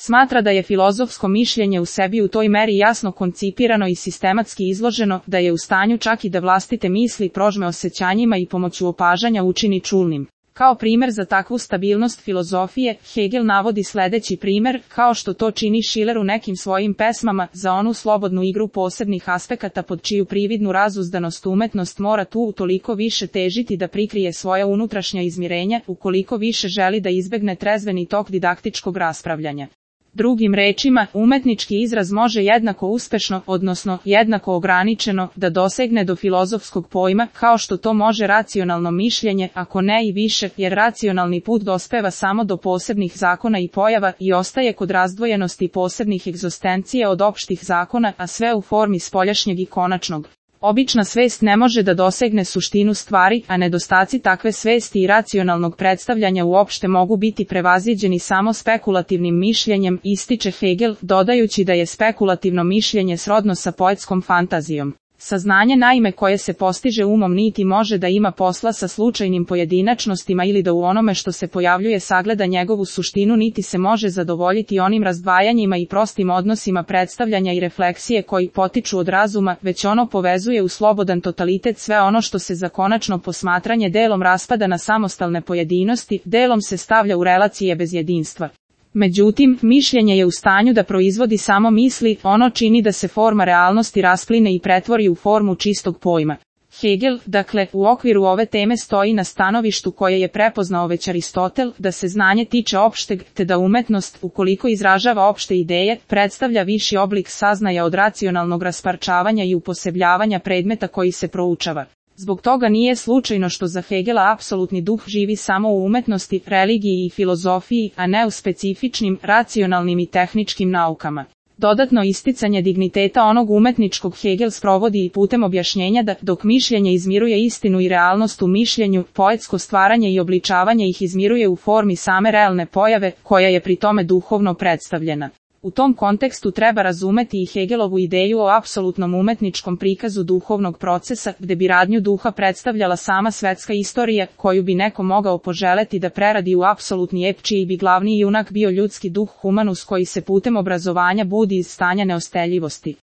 Smatra da je filozofsko mišljenje u sebi u toj meri jasno koncipirano i sistematski izloženo, da je u stanju čak i da vlastite misli prožme osjećanjima i pomoću opažanja učini čulnim. Kao primjer za takvu stabilnost filozofije, Hegel navodi sljedeći primjer, kao što to čini Schiller u nekim svojim pesmama, za onu slobodnu igru posebnih aspekata pod čiju prividnu razuzdanost umetnost mora tu utoliko više težiti da prikrije svoja unutrašnja izmirenja, ukoliko više želi da izbegne trezveni tok didaktičkog raspravljanja. Drugim rečima, umetnički izraz može jednako uspešno, odnosno jednako ograničeno, da dosegne do filozofskog pojma, kao što to može racionalno mišljenje, ako ne i više, jer racionalni put dospeva samo do posebnih zakona i pojava i ostaje kod razdvojenosti posebnih egzistencije od opštih zakona, a sve u formi spoljašnjeg i konačnog. Obična svest ne može da dosegne suštinu stvari, a nedostaci takve svesti i racionalnog predstavljanja uopšte mogu biti prevaziđeni samo spekulativnim mišljenjem, ističe Hegel, dodajući da je spekulativno mišljenje srodno sa poetskom fantazijom. Saznanje naime koje se postiže umom niti može da ima posla sa slučajnim pojedinačnostima ili da u onome što se pojavljuje sagleda njegovu suštinu niti se može zadovoljiti onim razdvajanjima i prostim odnosima predstavljanja i refleksije koji potiču od razuma, već ono povezuje u slobodan totalitet sve ono što se za konačno posmatranje delom raspada na samostalne pojedinosti, delom se stavlja u relacije bez jedinstva. Međutim, mišljenje je u stanju da proizvodi samo misli, ono čini da se forma realnosti raspline i pretvori u formu čistog pojma. Hegel, dakle, u okviru ove teme stoji na stanovištu koje je prepoznao već Aristotel, da se znanje tiče opšteg, te da umetnost, ukoliko izražava opšte ideje, predstavlja viši oblik saznaja od racionalnog rasparčavanja i uposebljavanja predmeta koji se proučava. Zbog toga nije slučajno što za Hegela apsolutni duh živi samo u umetnosti, religiji i filozofiji, a ne u specifičnim, racionalnim i tehničkim naukama. Dodatno isticanje digniteta onog umetničkog Hegel sprovodi i putem objašnjenja da, dok mišljenje izmiruje istinu i realnost u mišljenju, poetsko stvaranje i obličavanje ih izmiruje u formi same realne pojave, koja je pri tome duhovno predstavljena. U tom kontekstu treba razumeti i Hegelovu ideju o apsolutnom umetničkom prikazu duhovnog procesa, gde bi radnju duha predstavljala sama svetska istorija, koju bi neko mogao poželeti da preradi u apsolutni ep čiji bi glavni junak bio ljudski duh humanus koji se putem obrazovanja budi iz stanja neosteljivosti.